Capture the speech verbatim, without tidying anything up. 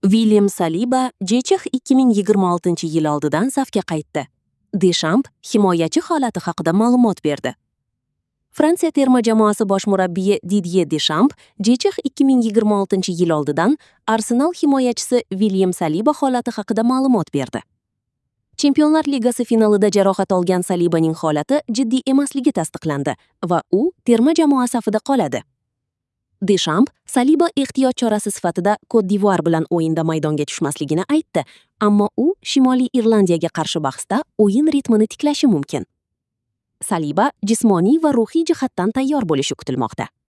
Vilyam Saliba J C H ikki ming yigirma oltinchi yil oldidan safga qaytdi. Deshamp himoyachi holati haqida ma'lumot berdi. Fransiya terma jamoasi bosh murabbiyi Didye Deshamp J C H ikki ming yigirma oltinchi yil oldidan Arsenal himoyachisi Vilyam Saliba holati haqida ma'lumot berdi. Chempionlar Ligasi finalida jarohat olgan Salibaning holati jiddiy emasligi tasdiqlandi va u terma jamoa safida qoladi. Deshamp Saliba ehtiyot chorasi sifatida Kot-d'Ivuar bilan o'yinda maydonga tushmasligini aytdi, ammo u Shimoliy Irlandiyaga qarshi bahsda o'yin ritmini tiklashi mumkin. Saliba jismoniy va ruhiy jihatdan tayyor bo'lishi kutilmoqda.